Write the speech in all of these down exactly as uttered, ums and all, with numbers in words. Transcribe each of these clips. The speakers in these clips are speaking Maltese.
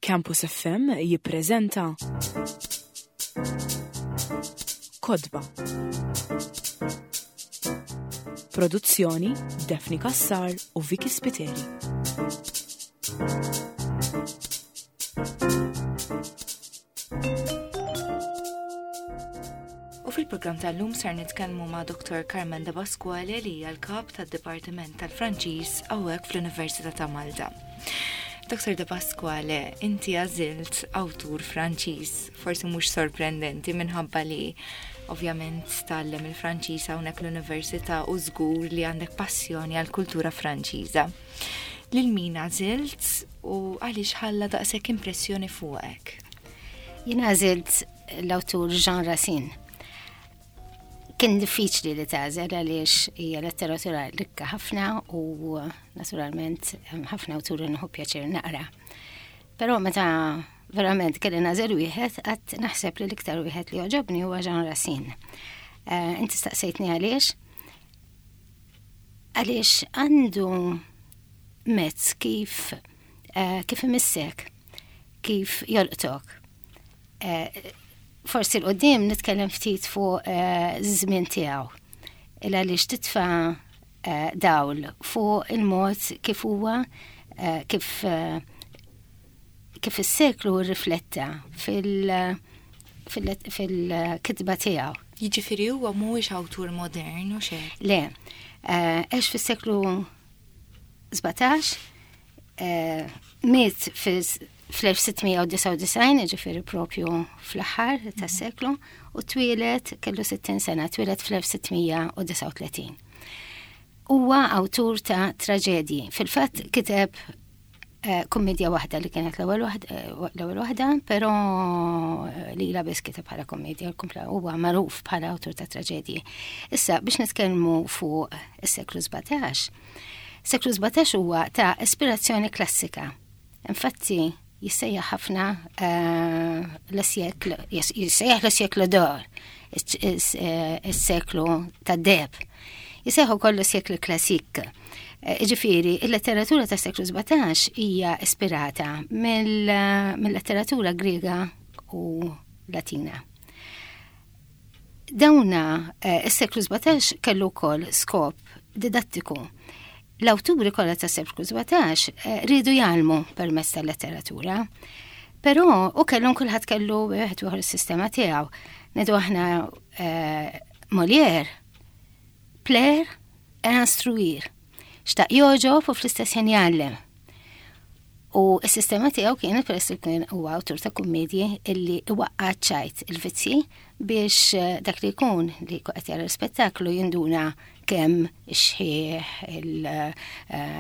Campus F M jippreżenta Kotba. Produzzjoni Daphne Cassar u Vicky Spiteri. U fil-programm tal-lum sar nitkellmu ma' Doktor Carmen De Pasquale, li hija l-kap tad-Dipartiment tal-Franċiż hawnhekk fl-Università ta' Malta. Doktor De Pasquale, inti għażilt awtur Franċiż, forsi mhux sorprendenti minħabba li ovvjament tgħallem il-Franċiż hawnhekk l-Università u żgur li għandek passjoni għall-kultura Franċiża. Lil min għażilt u għaliex ħalla daqshekk impressjoni fuqek? Jien għażilt l-awtur Jean Racine. Kien diffiċli li tagħżel għaliex hija letteratura rikka ħafna u naturalment ħafna awturi nieħu pjaċir naqra. Però meta verament kelli nagħżel wieħed, qatt naħseb li l-iktar wieħed li għoġobni huwa Jean Racine. Eh, inti staqsejtni għaliex? Għaliex għandu mezz kif eh, kif imissek, kif jolqtok. Eh, forsi 'l quddiem nitkellem ftit fuq żmien tiegħu. Il għaliex titfa' dawl fuq il-mod kif huwa kif kif is-seklu rifletta fil-kitba tiegħu. Jiġifieri huwa mhuwiex awtur modern u xejn. Le, għex fis-seklu sbatax, miet fl-elf sitt mija u disgħa u disgħin, ġifieri propju fl-aħħar tas-seklu, u twieled kellu sittin sena, twieled fl-elf sitt mija u disgħa u tletin. Huwa awtur ta' traġedji. Fil-fatt kiteb eh, kummedja waħda li kienet l-ewwel waħda, però eh, li la biss kiteb bħala kummedja, huwa magħruf bħala awtur ta' traġedji. Issa biex nitkellmu fuq is-seklu sbatax. Seklu sbatax huwa ta' ispirazzjoni klassika. Infatti, jissejjaħ ħafna eh, l-siècle, jissejjaħ le siècle d'or, is-seklu tad-deheb. Jissejjaħ ukoll siècle classique. Eh, ġifieri, il-letteratura ta' seklu sbatax hija ispirata mill-letteratura Griega u Latina. Dawna, eh, is-seklu sbatax kellu wkoll skop didattiku. L-awturi kollha ta' seklu sbatax eh, riedu jgħallmu permezz tal-letteratura. Però u kellhom kulħadd kellu wieħed ieħor is-sistema tiegħu. Ngħidu aħna eh, Molière, plaire et instruire. Xtaq jogħġob u fl-istess ħin jgħallem. U s-sistema tiegħu kienet, peress li kien huwa awtur ta' kummedji, illi iwaqqa' ċajt il-vizzji biex eh, dak li jkun li qed jara l-spettaklu jinduna kemm ix-xħiħ, eh,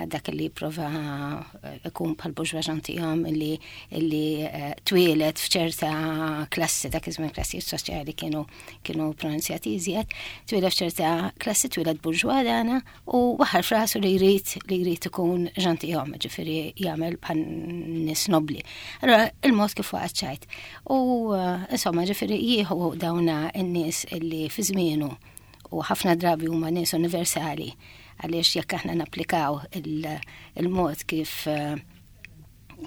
dak li prova eh, ikun bħal bourgeois gentilhomme illi illi twieled f'ċerta klassi, dak iż-żmien klassi soċjali kienu kienu pronunzjati iżjed, twieled f'ċerta klassi, twieled bourgeois dana u waħal f'rasu li jrid li jrid ikun gentilhomme, ġifieri jagħmel bħal nies nobli. Allora il-mod kif waqgħet ċajt. U insomma, ġifieri jieħu dawna n-nies illi fi żmienu u ħafna drabi huma nies universali, għaliex jekk aħna napplikaw il-mod kif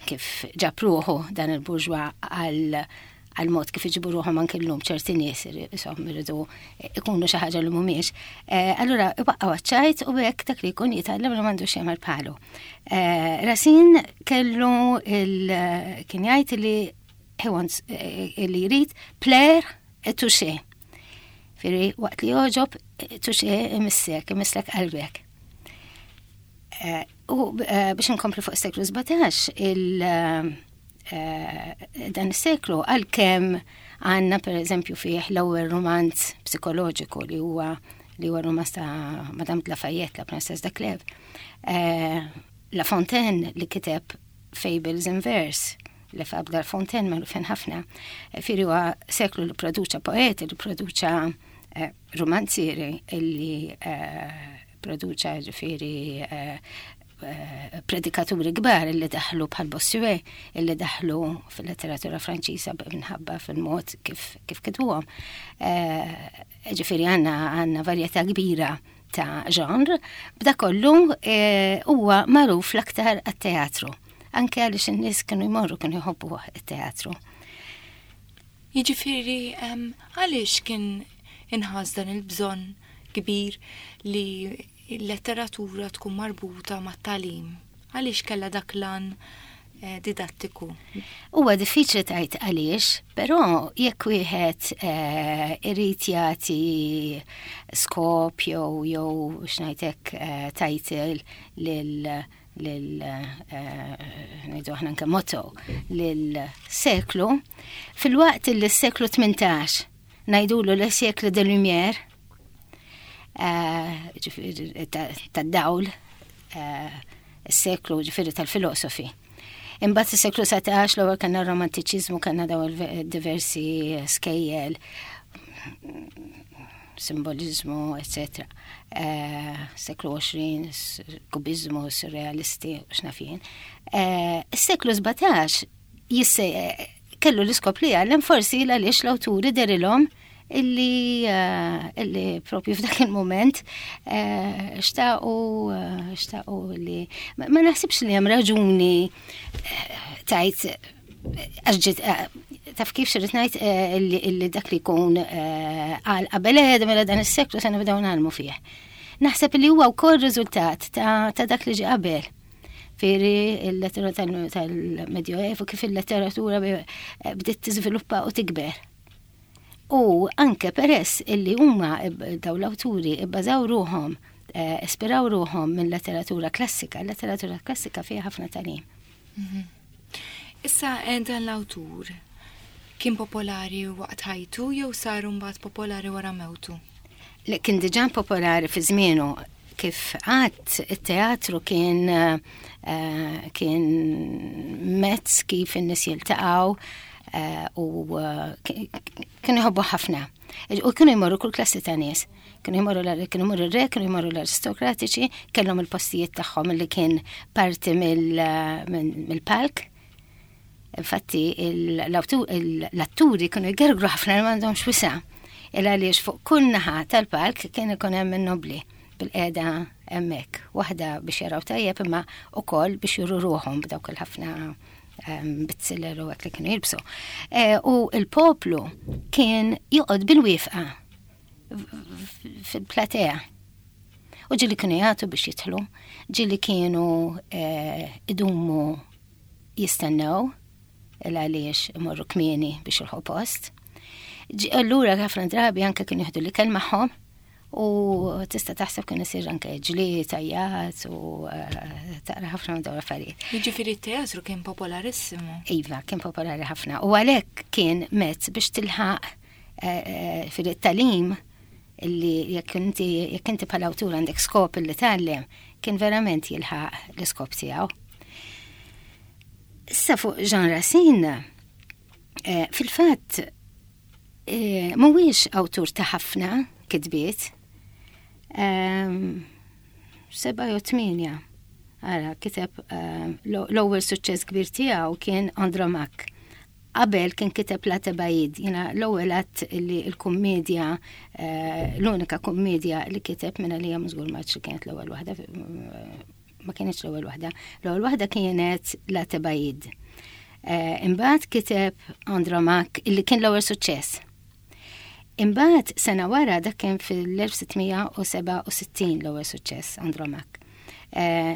kif ġab ruħu dan il-bourgeois għal għal mod kif iġibu ruħhom anke llum ċerti nies, insomma, iridu ikunu xi ħaġa li mhumiex. Eh, allura iwaqqgħu ċajt u hekk dak li jkun jitgħallem li m'għandux jagħmel bħalu. Eh, Racine kellu il kien jgħid li he wants, eh, li jrid plaire et toucher. Ġifieri, waqt li jogħġob, toucher, imissek, imisslek qalbek. U biex nkompli fuq seklu sbatax, il- dan is-seklu, għalkemm għandna per eżempju fih l-ewwel romanz psikoloġiku li huwa li huwa romanz ta' Madame de Lafayette, La Princesse de Clèves. La Fontaine li kiteb Fables in Verse, Les Fables de La Fontaine magħrufin ħafna. Ġifieri huwa seklu li produċa poeti, li produċa romanzieri, illi produċa ġifieri predikaturi kbar illi daħlu bħal Bossuet, illi daħlu fil-letteratura Franċiża minħabba fil-mod kif kif kitbuhom. Ġifieri għandna għandna varjetà kbira ta' ġanr, b'da kollu huwa magħruf l-aktar għat-teatru. Anke għaliex in-nies kienu jmorru, kienu jħobbu it-teatru. Jiġifieri għaliex kien inħass dan il-bżonn kbir li l-letteratura tkun marbuta mat-tagħlim? Għaliex kellha dak l-għan eh, didattiku? Huwa diffiċli tgħid għaliex, però jekk wieħed eh, irid jagħti skop jew jew x'ngħidlek eh, title lil lil ngħidu aħna anke motto lil seklu, filwaqt li s-seklu tmintax ngħidulu le siècle des Lumières, tad-dawl, is-seklu ġifieri tal-filosofi. Imbagħad is-seklu satax l-ewwel kellna romantiċiżmu, kellna daw diversi skejjel, simbolizmu, eċċetera. Seklu għoxrin, kubizmu, surrealisti, x'naf jien. Is-seklu sbatax jisse kellu l-iskop li jgħallem, forsi għaliex l-awturi dehrilhom illi illi propju f'dak il-moment xtaqu xtaqu li ma naħsibx li hemm raġuni tajt għax taf kif xirrit ngħid, illi dak li jkun għal qabel mela dan is-seklu se nibdew nagħmlu fih. Naħseb li huwa wkoll riżultat ta' dak li ġie qabel. Fieri il-letteratura tal-Medjoevu, kif il-letteratura bdiet tiżviluppa u tikber. U anke peress illi huma daw l-awturi ibbażaw ruħhom, ispiraw ruħhom minn letteratura klassika, letteratura klassika fiha ħafna tagħlim. Mhm. Issa dan l-awtur kien popolari waqt ħajtu jew sar mbagħad popolari wara mewtu? Li kien diġà popolari fi żmienu. Kif għedt, it-teatru kien kien mezz kif in-nies jiltaqgħu u kienu jħobbu ħafna. U kienu jmorru kull klassi ta' nies. Kienu jmorru kienu jmorru r-re, kienu jmorru l-aristokratiċi, kellhom il-postijiet tagħhom li kien parti mill-palk. Infatti l-atturi kienu jgergru ħafna li m'għandhomx wisa'. Il għaliex fuq kull naħa tal-palk kien ikun hemm in-nobli bil-qeda hemmhekk. Waħda biex jaraw tajjeb imma ukoll biex juru ruħhom b'dawk il-ħafna bizziller u hekk li kienu jilbsu. U il-poplu kien joqgħod bil-wieqfa fil-platea. U ġieli kienu jagħtu biex jidħlu, ġieli kienu idumu jistennew il għaliex imorru kmieni biex jilħqu post. Allura ħafna drabi anke kienu jieħdu l-ikel magħhom u tista' taħseb kien isir anke ġlied, tajjat u taqra ħafna minn dawn l-affarijiet. Jiġifieri t-teatru kien popolarissimu. Iva, kien popolari ħafna. U għalhekk kien mezz biex tilħaq fil-tagħlim illi jekk inti jekk inti bħala awtur għandek skop illi tgħallem, kien verament jilħaq l-iskop tiegħu. Issa fuq Jean Racine, fil-fatt mhuwiex awtur ta' ħafna kitbiet, seba' jew tmienja. Ara, kiteb l-ewwel suċċess kbir tiegħu kien Andromaque. Qabel kien kiteb La Thébaïde, jiena l-ewwel għedt li l-kummedja, l-unika kummedja li kiteb minna li hija żgur ma kienet l-ewwel waħda, ma kienx l-ewwel waħda. L-ewwel waħda kienet La Thébaïde. Imbagħad kiteb Andromaque illi kien l-ewwel suċċess. Imbagħad sena wara, dak kien fil-elf sitt mija u sebgħa u sittin l-ewwel suċċess Andromaque.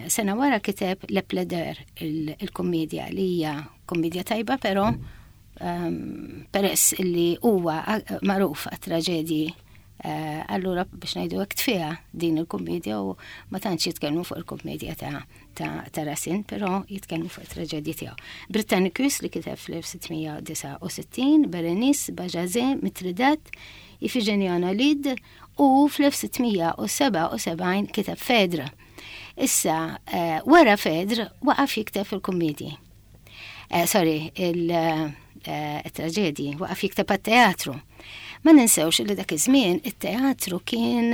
Sena wara kiteb Le Plaideur, il-kommedja li hija kommedja tajba, però peress illi huwa magħruf għat-traġedji, allura biex ngħidu hekk tfiha din il-kommedja u ma tantx jitkellmu fuq il-kommedja ta' ta', ta Racine, però jitkellmu fuq it-traġedji tiegħu. Britannicus li kiteb fl-elf sitt mija u disgħa u sittin, Berenice, Bajazet, Mithridate, Iphigénie en Aulide u fl-elf sitt mija u sebgħa u sebgħin kiteb Phèdre. Issa, wara Phèdre waqaf jikteb fil-kummedji. Sorry, il-traġedji, waqaf jikteb għat-teatru. Ma ninsewx li dak iż-żmien it-teatru kien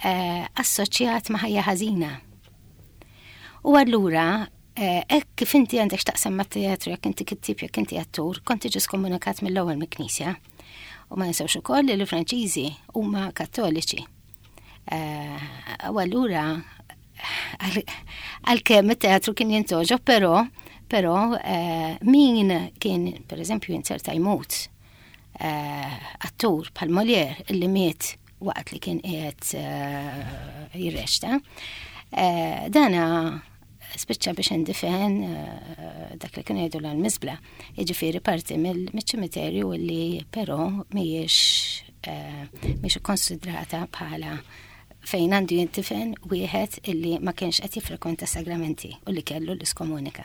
assoċjat ma' ħajja ħażina. U allura, hekk kif inti għandek x'taqsam mat-teatru, jekk inti kittib, jekk inti attur, kont tiġi skomunikat mill-ewwel mill-Knisja. U ma ninsewx ukoll li l-Franċiżi huma Kattoliċi. U allura Għalkemm it-teatru kien jintgħoġob, però però eh, min kien, per eżempju, jinzerta jmut eh, attur bħal Molière illi miet waqt li kien qiegħed eh, jirreċta. Dana spiċċa biex indifen dak li kien jgħidu l-miżbla, jiġifieri parti mill-ċimiterju li però mhijiex mhijiex ikkonsidrata bħala fejn għandu jintifen wieħed illi ma kienx qed jiffrekwenta sagramenti u li kellu l-iskomunika.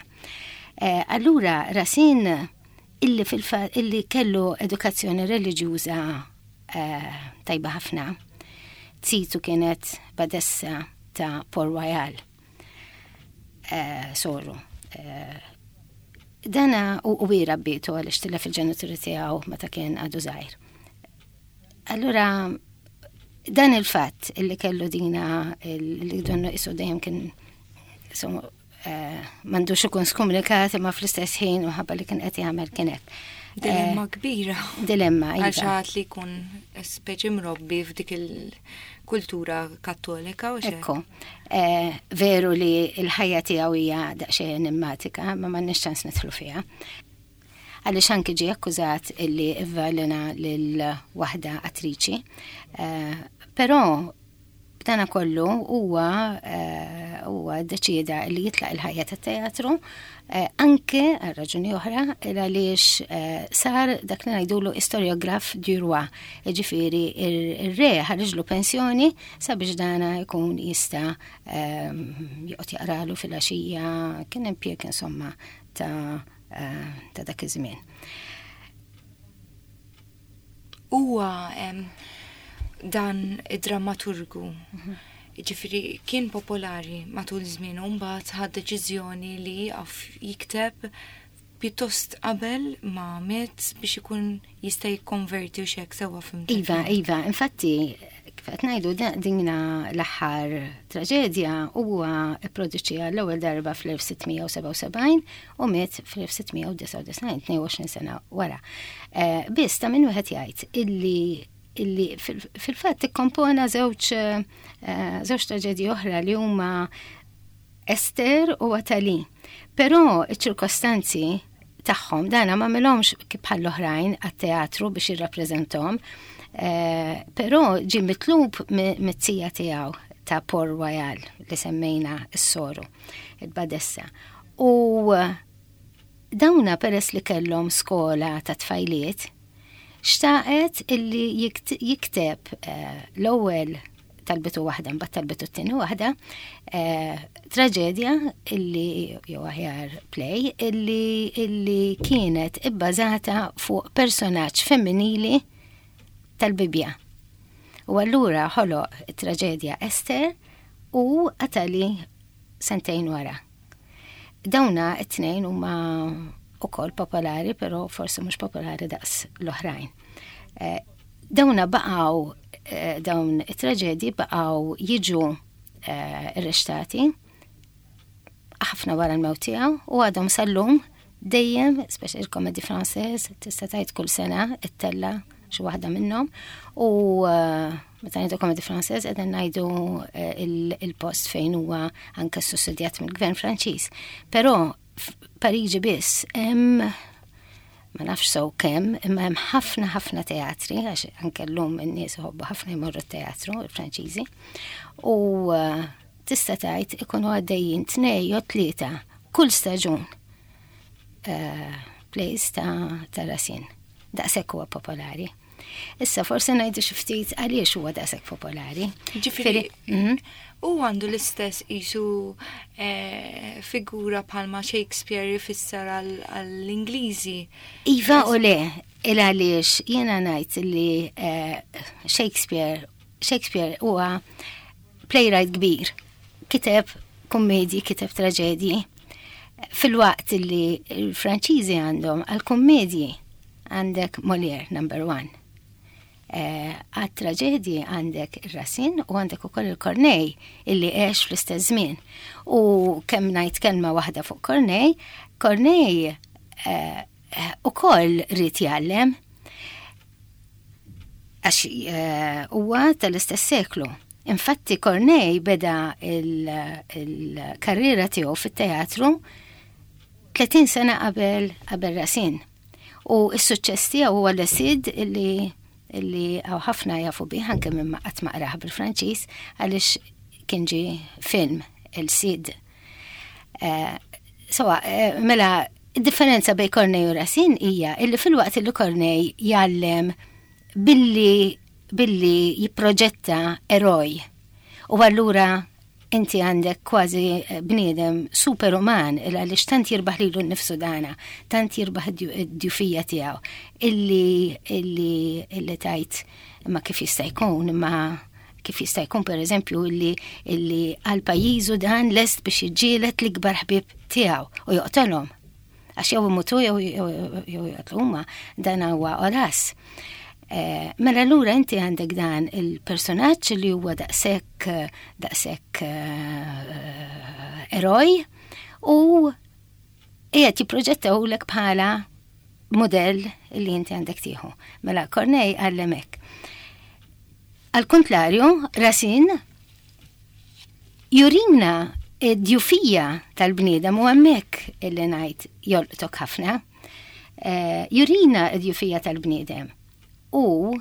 Eh, allura Racine illi fil illi kellu edukazzjoni reliġjuża eh, tajba ħafna, zitu kienet badessa ta' Port Royal, eh, soru. Dana u u rabbitu għaliex tilef il-ġenituri tiegħu meta kien għadu żgħir. Allura dan il-fatt illi kellu dina li donnu isu dejjem kien eh, m'għandux ikun skomunikat, imma fl-istess ħin u ħabba li kien qed jagħmel kien hekk. Dilemma eh, kbira. Dilemma, iva. Għal li jkun speċi mrobbi f'dik il-kultura Kattolika u Ekku. Eh, veru li l-ħajja tiegħu hija daqsxejn enigmatika, ma m'għandniex ċans nidħlu fiha. Għaliex anki ġie akkużat illi ivvelena lil waħda attriċi. Eh, però b'dana kollu huwa eh, huwa deċida li jitlaq il-ħajja tat-teatru eh, anke għal raġuni oħra għaliex sar dak li ngħidulu historiographe du roi, ġifieri ir-re ħarġlu pensjoni sabiex dana jkun jista' joqgħod jaqralu fil-għaxija, kien impjeg insomma ta' ta' dak iż-żmien. Huwa dan id-drammaturgu, ġifieri kien popolari matul żmien u mbagħad ħad deċiżjoni li jieqaf jikteb pjuttost qabel ma miet biex ikun jista' jikkonverti u xek sewwa fhimt. Iva, iva, infatti kif qed ngħidu dina l-aħħar traġedja huwa pproduċija l-ewwel darba fl-elf sitt mija u sebgħa u sebgħin u miet fl-elf sitt mija u disgħa u disgħin, tnejn u għoxrin sena wara. Eh, biss ta' min wieħed jgħid illi illi fil-fatt ikkompona żewġ eh, żewġ traġedji oħra li huma Ester u Atali. Però iċ-ċirkostanzi tagħhom dana ma għamilhomx kif bħal oħrajn għat-teatru biex jirrappreżentahom, eh, però ġie mitlub mit-tija tiegħu ta' Port Royal li semmejna s-soru, il-badessa. U dawna peress li kellhom skola ta' tfajliet, xtaqet illi jikteb eh, l-ewwel talbitu waħda, mbagħad talbitu t-tieni waħda, eh, traġedja illi jew aħjar play illi illi kienet ibbażata fuq personaġġ femminili tal-Bibja. U allura ħoloq it-traġedja Ester u Atali sentejn wara. Dawna it-tnejn huma ukoll popolari, però forsi mhux popolari daqs l-oħrajn. Eh, dawna baqgħu eh, dawn it-traġedji baqgħu jiġu eh, irreċtati ħafna wara l-mewt tiegħu u għadhom sal-lum dejjem, speċi il-Comédie Française, tista' tgħid kull sena ittella' xi waħda minnhom u meta ngħidu Comédie Française qegħdin ngħidu il-post fejn huwa anke sussidjat mill-Gvern Franċiż. Però Pariġi biss hemm, ma nafx sew kemm, imma hemm ħafna ħafna teatri, għax anke llum in-nies iħobbu ħafna jmorru teatru, il-Franċiżi. U uh, tista' tgħid ikunu għaddejjin tnej jew tlieta kull staġun uh, plays ta' ta' Racine. Daqshekk huwa popolari. Issa forsi ngħidu xi ftit għaliex huwa daqshekk popolari. Ġifieri, mhm. u għandu l-istess isu eh, figura bħalma Shakespeare jfisser għall-Ingliżi. Iva u le, il għaliex jiena ngħid li eh, Shakespeare Shakespeare huwa playwright kbir. Kiteb kummedji, kiteb traġedji. Fil-waqt li l-Franċiżi għandhom għal-kummedji għandek Molière number one. Eh, għat-traġedji għandek il-Racine u għandek ukoll il-Corneille illi għex fl-istess żmien. U kemm ngħid kelma waħda fuq Corneille, Corneille eh, ukoll ried jgħallem għax eh, huwa tal-istess seklu. Infatti Corneille beda il-karriera tiegħu fit-teatru tletin sena qabel qabel Racine. U s-suċċess tiegħu huwa Le Cid, illi illi hawn ħafna jafu bih anke minn ma qatt ma qrah bil-Franċiż, għaliex kien ġie film El Cid. Eh, so, eh, mela, id-differenza bejn Corneille u Racine hija illi filwaqt illi Corneille jgħallem billi billi jipproġetta eroj. U allura inti għandek kważi eh, bniedem superuman, il għaliex tant jirbaħ lilu nnifsu dana, tant jirbaħ id-djufija tiegħu, illi illi illi tgħid imma kif jista' jkun, imma kif jista' jkun, per eżempju, illi illi għal pajjiżu dan lest biex jiġġieled l-ikbar ħbieb tiegħu u joqtolhom. Għax jew imutu jew jew joqtlu huma, dan huwa Horace. Eh, mela allura inti għandek dan il-personaġġ li huwa daqshekk daqshekk eh, eroj u qiegħed jipproġettawlek bħala modell li inti għandek tieħu. Mela Corneille għallem hekk. Al kontrarju, Racine jurina id-djufija tal-bniedem, u hemmhekk illi ngħid jolqtok ħafna. Eh, jurina id-djufija tal-bniedem. U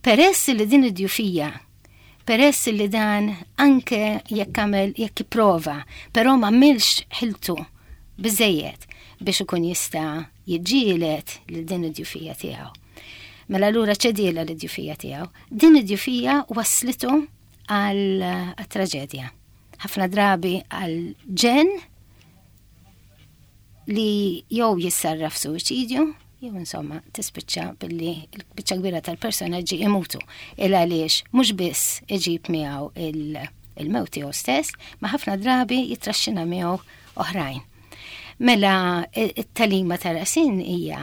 peress li din id-djufija, peress li dan anke jekk għamel, jekk jipprova, però ma għamilx ħiltu biżejjed biex ikun jista' jiġġieled lil din id-djufija tiegħu. Mela allura ċedielha l-djufija tiegħu. Din id-djufija waslitu għal traġedja. Ħafna drabi għal ġenn li jew jissarraf suwiċidju, jew insomma tispiċċa billi l-biċċa kbira tal-personaġġi imutu. Il għaliex mhux biss iġib miegħu il-mewt tiegħu stess, ma ħafna drabi jitraxxina miegħu oħrajn. Mela it-tagħlima ta' Racine hija: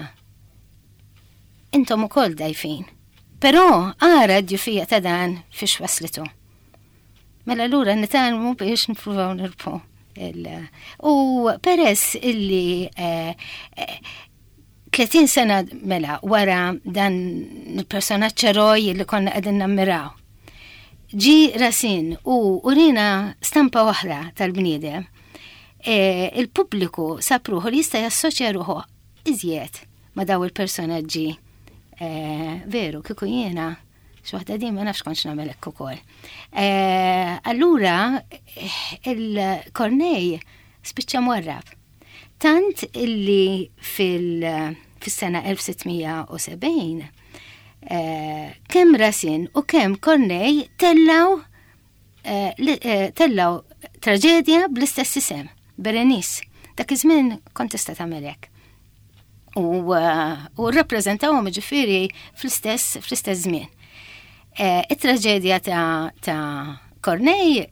intom ukoll dgħajfin. Però ara d-djufija ta' dan fiex waslitu. Mela allura nitgħallmu biex nippruvaw nirbħu. U peress illi eh, eh, tletin sena mela wara dan il-personaġġ eroj li konna qegħdin nammiraw, ġie Racine u urina stampa oħra tal-bniedem, e, il-pubbliku sab ruħu li jista' jassoċja ruħu iżjed ma' daw il-personaġġi. E, veru, kieku jiena xi waħda din ma nafx kontx nagħmel hekk ukoll. E, allura il-Corneille spiċċa mwarrab. Tant illi fil-sena elf sitt mija u sebgħin eh, kemm Racine u kemm Corneille tellaw eh, eh, tellaw traġedja bl-istess isem, Berenice. Dak iż-żmien kont tista' tagħmel hekk. U, u rrappreżentawhom, ġifieri, fl-istess fl-istess żmien. It-traġedja ta', ta Corneille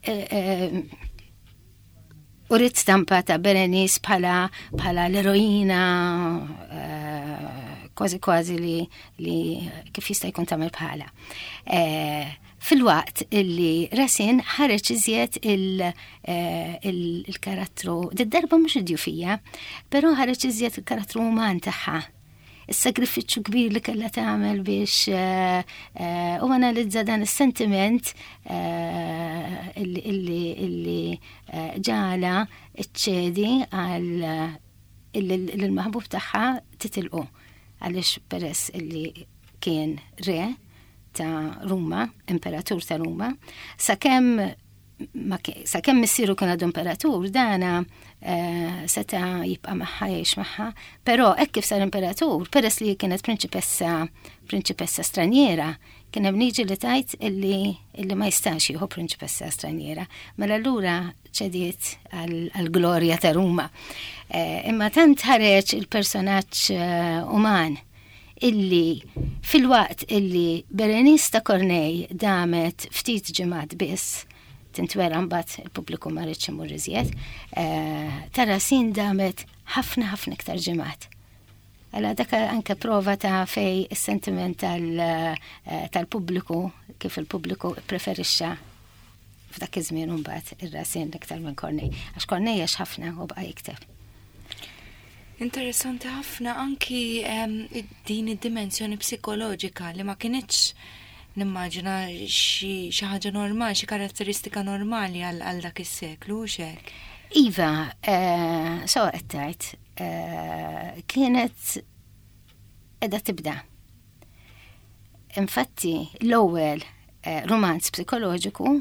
uriet stampa ta' Berenice bħala bħala l-eroina, kważi kważi li, li kif jista' jkun tagħmel bħala. Filwaqt illi Racine ħareġ iżjed il-karattru, darba mhux id-djufija, però ħareġ iżjed il-karattru uman tagħha, is-sagrifiċċju kbir li kellha tagħmel biex u analizza dan is-sentiment illi illi ġagħalha ċċedi għal il-maħbub tagħha titilqu, għaliex peress illi kien re ta' Ruma, imperatur ta' Ruma, sakemm sakemm missieru kien għadu imperatur, dana eh, seta jibqa' magħha, jgħix magħha, però hekk kif sar imperatur, peress li kienet prinċipessa prinċipessa straniera, kien hemm liġi li tgħid illi illi ma jistax jieħu prinċipessa straniera. Mela allura ċediet għall-glorja ta' Ruma. Eh, imma tant ħareġ il-personaġġ eh, uman illi filwaqt illi Berenice ta' Corneille damet ftit ġimgħat biss tintwera, mbagħad il-pubbliku ma riedx imur iżjed, eh, ta' Racine damet ħafna ħafna iktar ġimgħat. Għala dak anke prova ta' fej is-sentiment tal-pubbliku, kif il-pubbliku preferixxa f'dak iż-żmien mbagħad ir-Racine iktar minn Corneille. Għax Corneille għax ħafna u baqa' jikteb. Interessanti ħafna anki din id-dimensjoni psikoloġika li ma kinitx Nimmaġina xi ħaġa normali, xi karatteristika normali għal dak is-seklu, u hekk. Iva, eh, so qed eh, kienet qiegħda tibda. Infatti, l-ewwel eh, romanz psikoloġiku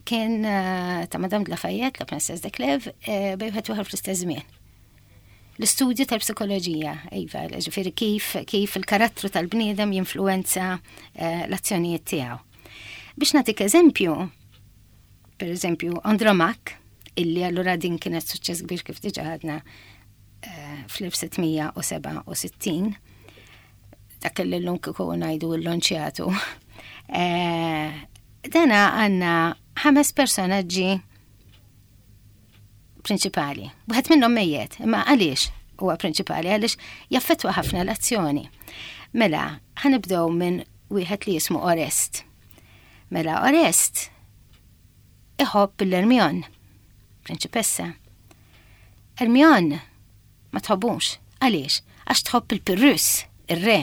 kien ta' Madame de Lafayette, La Princesse de Clèves, bejn wieħed fl-istess żmien. L-istudju tal-psikoloġija, iva, ġifieri kif, kif il-karattru tal-bniedem jinfluenza eh, l-azzjonijiet tiegħu. Biex nagħtik eżempju, per eżempju, Andromaque, illi allura din kienet suċċess kbir kif diġà għadna eh, fl-elf sitt mija u sebgħa u sittin, dak li l-lum kieku ngħidu l-lonċjatu. Eh, dana għandna ħames personaġġi prinċipali. Wieħed minnhom mejjet, imma għaliex huwa prinċipali? Għaliex jaffettwa ħafna l-azzjoni. Mela, ħa nibdew minn wieħed li jismu Orest. Mela, Orest iħobb l-Ermion, prinċipessa. Ermion ma tħobbux. Għaliex? Għax tħobb il-Pirrus, ir-re.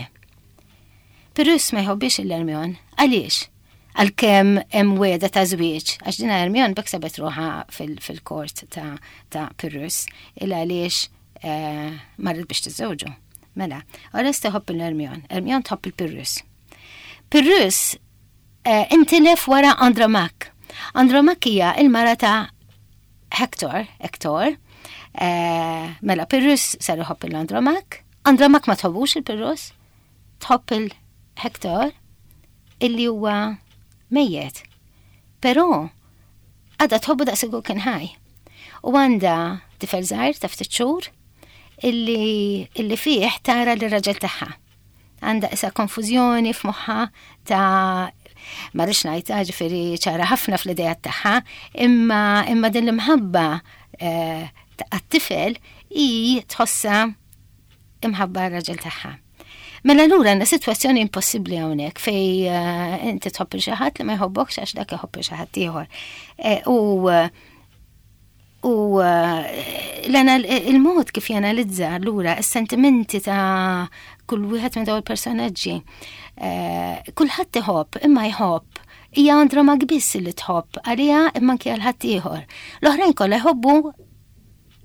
Pirrus ma jħobbix l-Ermion. Għaliex? Għalkemm hemm wegħda ta' żwieġ, għax dina Hermione b'hekk sabet ruħha fil-kort ta', ta Pyrrhus, il għaliex eh, marret biex tiżżewġu. Mela, Oreste tħobb il-Hermione, Hermione tħobb il-Pyrrhus. Pyrrhus eh, intilef wara Andromaque. Andromaque hija il-mara ta' Hector, Hector, eh, mela Pyrrhus sar iħobb il-Andromaque, Andromaque ma tħobbux il-Pyrrhus, tħobb il-Hector, illi huwa mejjet. Però għadha tħobbu daqs kien ħaj. U għandha tifel żgħir ta' ftit xhur illi, illi fih tara l-raġel tagħha. Għandha issa konfużjoni f'moħħa ta' ma rridx ngħidha, ġifieri ċara ħafna fl-idea tagħha, imma imma din l-imħabba eh, għat-tifel i tħossa imħabba r-raġel tagħha. Mela lura għandna sitwazzjoni impossibbli hawnhekk fej uh, inti tħobb xi ħadd li ma jħobbokx għax dak iħobb xi ħadd ieħor. Eh, u u il-mod kif janalizza lura is-sentimenti ta' kull wieħed minn dawn il-personaġġi. Eh, kulħadd iħobb, imma jħobb hija Andromaque biss li tħobb għalija imma anke għal ħadd ieħor. L-oħrajn kollha jħobbu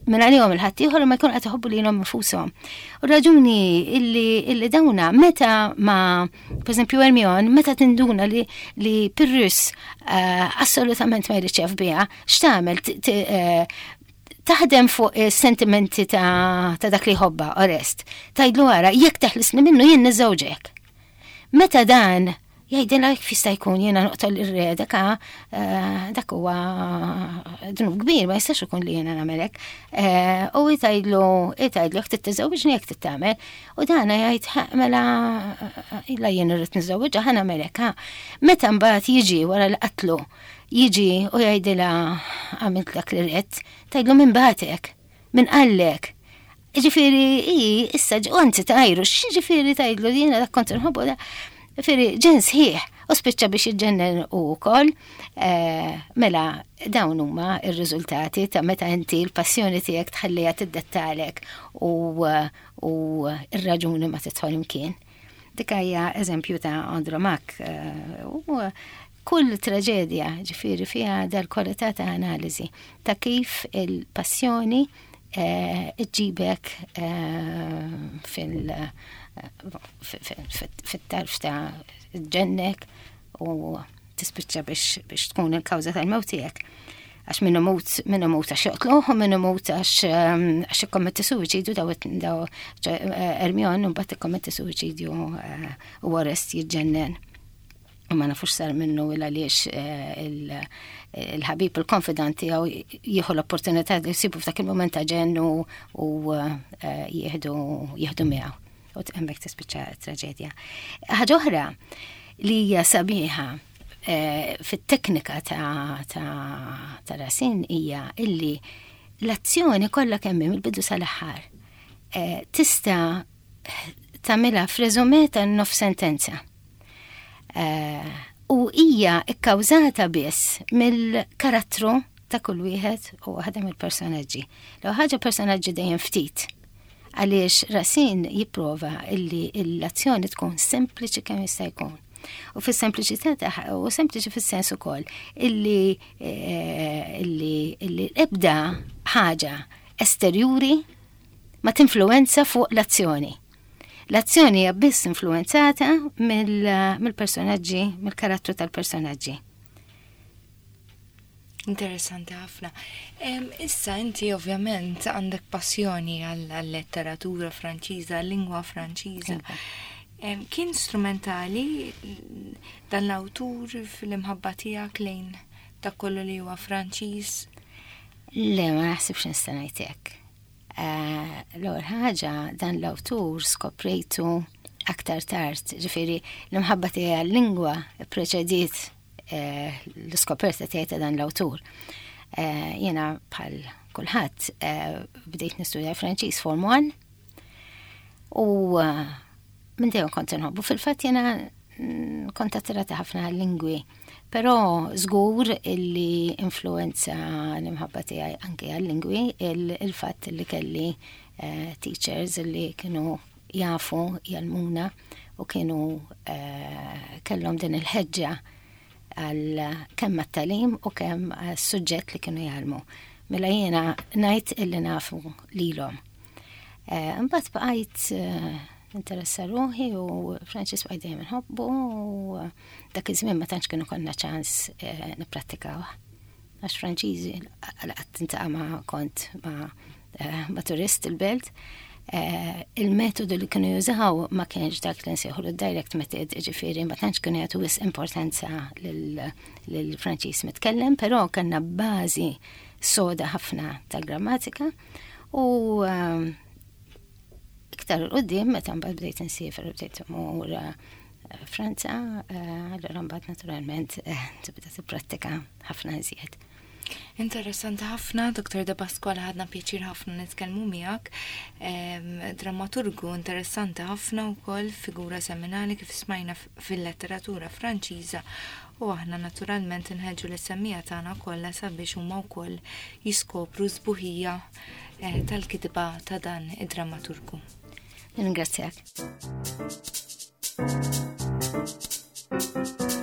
minn għalihom il-ħaddieħor ma jkun qed iħobbu lilhom infushom. U raġuni illi, illi dawna meta ma, per eżempju Hermione, meta tinduna li, li Pyrrhus uh, assolutament ma jridx biha, x'tagħmel? Uh, taħdem fuq sentimenti ta', ta dak li jħobba, Orest. Tgħidlu ara, jekk teħlisni minnu jien niżżewġek. Meta dan jgħidilha kif jista' jkun jiena noqtol ir-re, dak eh, dak huwa dnub kbir, ma jistax ikun li jiena nagħmelek. Eh, u jgħidlu jgħidlu jekk tittiżewġni jekk tittamel. U dana jgħid mela illa jien irrid niżżewġha ħa nagħmelek. Meta mbagħad jiġi wara li qatlu jiġi u jgħidilha għamilt dak li ridt, tgħidlu min bagħtek, min qallek? Ġifieri, i, issa, u anzi tajru, x'ġifieri tgħidlu jiena dak kont nħobbu da. Ġifieri, ġenn sħiħ, u spiċċa biex jiġġennen u wkoll, eh, mela dawn huma ir-riżultati ta' meta inti l-passjoni tiegħek tħalliha tiddettalek u, u ir-raġuni ma tidħol imkien. Dik hija eżempju ta' Andromaque eh, u kull traġedja ġifieri fiha dal-kwalità ta' analiżi ta' kif il-passjoni eh, iġġibek fil- fit-tarf ta' ġennek u tispiċċa biex, biex tkun il-kawża tal-mewt tiegħek. Għax minnu mut, minnu mut għax joqtluh u minnu mut għax għax ikkommetti suwiċidju daw daw Hermione u mbagħad ikkommetti suwiċidju eh, u Orest jiġġennen. U ma nafux sar minnu il għaliex eh, il-ħabib il-konfidant tiegħu jieħu l-opportunità li jsibu f'dak il-moment ta' ġenn u eh, jieħdu jieħdu miegħu u hemmhekk tispiċċa traġedja. Ħaġa oħra li hija sabiħa eh, fit-teknika ta', ta, ta Racine hija illi l-azzjoni kollha kemm mill-bidu sal-aħħar eh, tista' tagħmilha f'resume ta' nof sentenza. Eh, u hija ikkawżata biss mill-karattru ta' kull wieħed u waħda mill-personaġġi. L ħaġa personaġġi dejjem ftit għaliex Racine jipprova illi l-azzjoni tkun sempliċi kemm jista' jkun. U fis-sempliċità tagħha, u sempliċi fis-sens ukoll illi eh, illi illi ebda ħaġa esterjuri ma tinfluwenza fuq l-azzjoni. L-azzjoni hija biss influenzata mill-personaġġi, mill-karattru tal-personaġġi. Interessanti ħafna. Issa inti ovvjament għandek passjoni għall-letteratura Franċiża, għall-lingwa Franċiża. Iva. Kien strumentali dan l-awtur fil-imħabba tiegħek lejn dak kollu li huwa Franċiż? Le, ma naħsibx nista' ngħid hekk. Eh, l-ewwel ħaġa, dan l-awtur skoprejtu aktar tard, ġifieri l-imħabba tiegħi għal-lingwa preċediet eh, l-iskoperta tiegħi ta' dan l-awtur. Eh, jiena bħal kulħadd bdejt nistudja Franċiż Form one u minn dejjem kont inħobbu. Fil-fatt jiena mm, kont attirata ħafna għal-lingwi, però żgur illi influenza l-imħabba tiegħi anke għal-lingwi il-fatt li kelli eh, teachers li kienu jafu jgħallmuna u kienu eh, kellhom din il-ħeġġa għal kemm għat-tagħlim u kemm għas-suġġett li kienu jgħallmu. Mela jiena ngħid illi nafu lilhom. Eh, imbagħad bqajt interessa ruħi u Franċiż bqajt dejjem inħobbu u dak iż-żmien ma tantx kienu konna ċans eh, nipprattikaw. Għax Franċiżi qatt tintaqa' ma kont ma, eh, ma turist il-belt. Eh, il-metodu li kienu jużaw ma kienx dak li nsejħu direct method, ġifieri ma tantx kienu jagħtu wisq importanza lill-Franċiż mitkellem, però kellna bażi soda ħafna tal-grammatika u iktar 'il quddiem, meta mbagħad bdejt insiefer u bdejt immur eh, Franza, eh, allura mbagħad naturalment eh, tibda tipprattika ħafna iżjed. Interessanti ħafna, Doktor De Pasquale, ħadna pjaċir ħafna nitkellmu miegħek. Dramaturgu interessanti ħafna wkoll, figura seminali kif smajna fil-letteratura Franċiża, u aħna naturalment inħeġġu lis-semmiegħa tagħna kollha sabiex huma wkoll jiskopru sbuħija tal-kitba ta' dan id-dramaturgu. Ringrazzjak. Thank you.